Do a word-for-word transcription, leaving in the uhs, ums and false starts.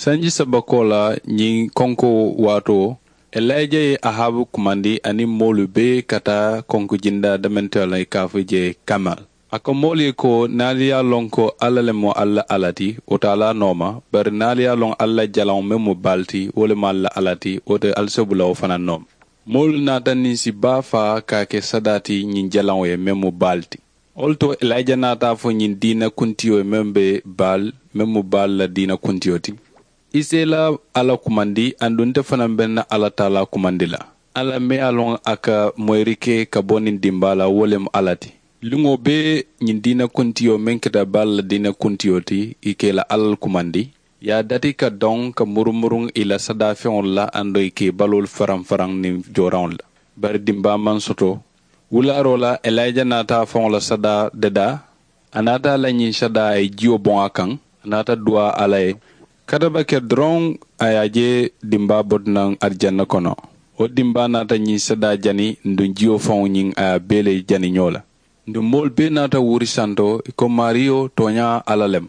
Sanji saba koolaa ñiŋ konkoo waatoo, elayija ye ahaabu kumandi aniŋ moolu bee ka taa konkojindaa dementeŋo la i ka a fo jee kamal. A ko moolu ye ko niŋ ali ye a loŋ ko alla le mu alla alla ti, wo te ali a nooma. Bari niŋ ali ye a loŋ alla jalaŋo meŋ mu baali ti, wo le mu alla alla ti, wo te ali sobula wo fanaa nooma. Moolu naata niŋ si baa faa ka a ke sadaa ti ñiŋ jalaŋo ye meŋ mu baali ti. Wo le to elayija naata a fo ñiŋ diina kuntiyo ye meŋ be baali meŋ mu baali la diina kuntiyo ti. I si i la alla kumandi aduŋ nte fanaa be n na alla taalaa kumandi la. Alla meŋ ye a loŋ a ka moyiri ke ka bo niŋ dimbaa la wo le mu alla ti. Luŋo bee ñiŋ diina kuntiyo meŋ keta baali la diina kuntiyo ti, i ka i la alla le kumandi. I ye a dati ka doŋ ka murumuruŋ i la sadaafeŋolu la aduŋ i ka i baloolu faraŋ faraŋ niŋ jooraŋolu la. Bari dimbaa maŋ soto. Wulaaroo la elayija naata a faŋo la sadaa dadaa. A naata a la ñiŋ sadaa a ye jiyo boŋ a kaŋ. A naata duwaa alla ye. Kataba ke doroŋ, a ye a je dimbaa bota naŋ arijanna kono. Wo dimbaa naata ñiŋ sadaa jani nduŋ jiyo faŋo ñiŋ a ye a bee le jani ñoo la. Nduŋ moolu bee naata wuri santo i ko maariyo tooñaa alla le mu.